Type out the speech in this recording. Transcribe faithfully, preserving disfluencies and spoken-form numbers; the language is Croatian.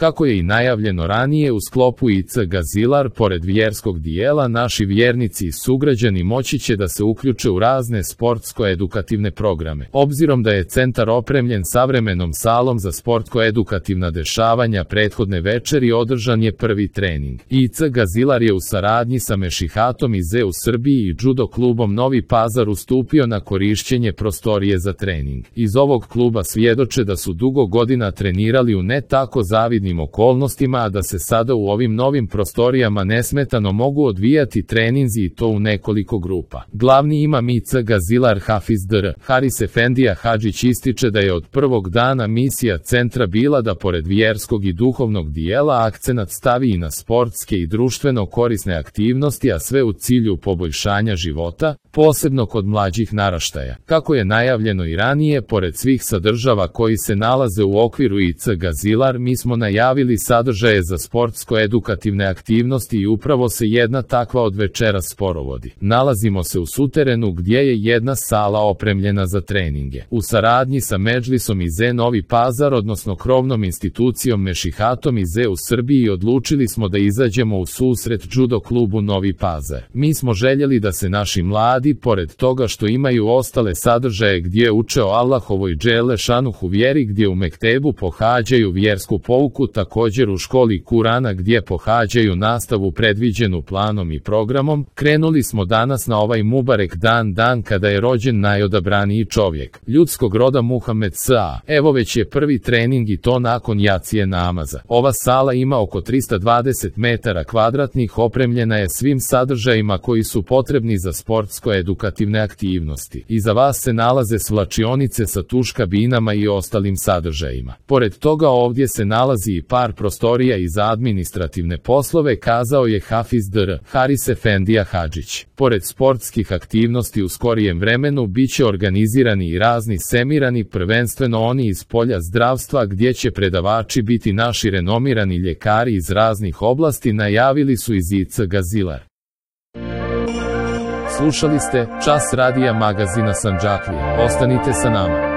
Kako je i najavljeno ranije, u sklopu I C Gazilar, pored vjerskog dijela, naši vjernici i sugrađani moći će da se uključe u razne sportsko-edukativne programe. Obzirom da je centar opremljen savremenom salom za sportsko-edukativna dešavanja, prethodne večeri održan je prvi trening. I C Gazilar je u saradnji sa Mešihatom iz E u Srbiji i judo klubom Novi Pazar ustupio na korišćenje prostorije za trening. Iz ovog kluba svjedoče da su dugo godina trenirali u ne tako zavidnim okolnostima, a da se sada u ovim novim prostorijama nesmetano mogu odvijati treninzi i to u nekoliko grupa. Glavni imam I C Gazilar Hafiz Dr. Haris Efendija Hadžić ističe da je od prvog dana misija centra bila da pored vjerskog i duhovnog dijela akcenat stavi i na sportske i društveno korisne aktivnosti, a sve u cilju poboljšanja života, posebno kod mlađih naraštaja. Kako je najavljeno i ranije, pored svih sadržava koji se nalaze u okviru I C Gazilar, mi smo najavili sadržaje za sportsko-edukativne aktivnosti i upravo se jedna takva od večeras sporovodi. Nalazimo se u suterenu gdje je jedna sala opremljena za treninge. U saradnji sa Medžlisom iz E Novi Pazar, odnosno krovnom institucijom Mešihatom iz E u Srbiji, odlučili smo da izađemo u susret judo klubu Novi Pazar. Mi smo željeli da se naši mladi, pored toga što imaju ostale sadržaje gdje uče o Allahovoj džele šanuhu vjeri, gdje u mektebu pohađaju vjersku pouku, također u školi Kurana gdje pohađaju nastavu predviđenu planom i programom, krenuli smo danas na ovaj Mubarek dan, dan kada je rođen najodabraniji čovjek ljudskog roda Muhammed S.A. Evo već je prvi trening i to nakon jacije namaza. Ova sala ima oko trista dvadeset metara kvadratnih, opremljena je svim sadržajima koji su potrebni za sportsko-edukativne aktivnosti. Iza vas se nalaze svlačionice sa tuš kabinama i ostalim sadržajima. Pored toga ovdje se nalazi i par prostorija i za administrativne poslove, kazao je Hafiz Dr. Haris Efendija Hadžić. Pored sportskih aktivnosti u skorijem vremenu bit će organizirani i razni semirani, prvenstveno oni iz polja zdravstva, gdje će predavači biti naši renomirani ljekari iz raznih oblasti, najavili su iz I C Gazilar. Slušali ste Čas radija magazina Sandžaklije. Ostanite sa nama.